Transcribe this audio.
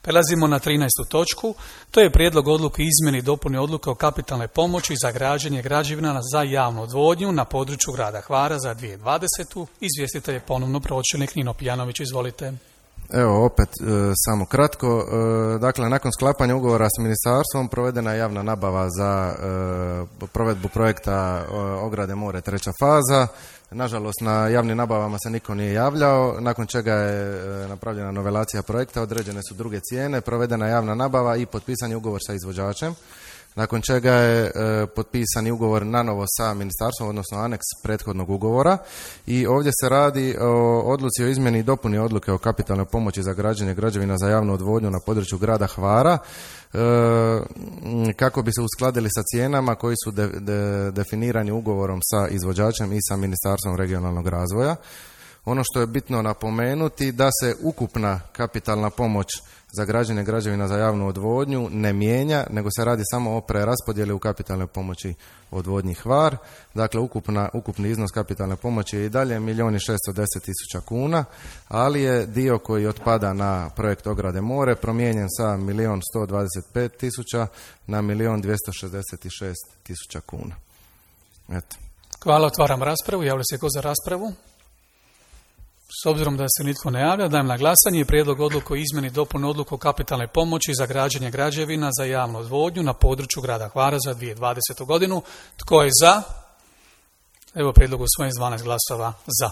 Prelazimo na 13. točku. To je prijedlog odluke izmjeni i dopuni odluke o kapitalnoj pomoći za građenje građevina za javnu odvodnju na području grada Hvara za 2020. Izvjestitelj je ponovno pročelnik Nino Pijanović. Izvolite. Evo opet samo kratko. Dakle, nakon sklapanja ugovora s ministarstvom provedena je javna nabava za provedbu projekta ograde more 3. faza. Nažalost, na javnim nabavama se niko nije javljao, nakon čega je napravljena novelacija projekta, određene su druge cijene, provedena je javna nabava i potpisan je ugovor sa izvođačem, nakon čega je potpisan i ugovor nanovo sa ministarstvom, odnosno aneks prethodnog ugovora. I ovdje se radi o odluci o izmjeni i dopuni odluke o kapitalnoj pomoći za građenje građevina za javnu odvodnju na području grada Hvara, kako bi se uskladili sa cijenama koji su definirani ugovorom sa izvođačem i sa Ministarstvom regionalnog razvoja. Ono što je bitno napomenuti da se ukupna kapitalna pomoć za građenje građevina za javnu odvodnju ne mijenja, nego se radi samo o preraspodjeli u kapitalnoj pomoći odvodnji Hvar. Dakle, ukupni iznos kapitalne pomoći je i dalje 1.610.000 kuna, ali je dio koji otpada na projekt ograde more promijenjen sa 1.125.000 na 1.266.000 kuna. Eto. Hvala, otvaram raspravu. Javlja se ko za raspravu? S obzirom da se nitko ne javlja, dajem na glasanje prijedlog odluke o izmjeni i dopuni odluke o kapitalnoj pomoći za građenje građevina za javnu odvodnju na području grada Hvara za 2020. godinu. Tko je za? Evo prijedlog usvojen s 12 glasova za.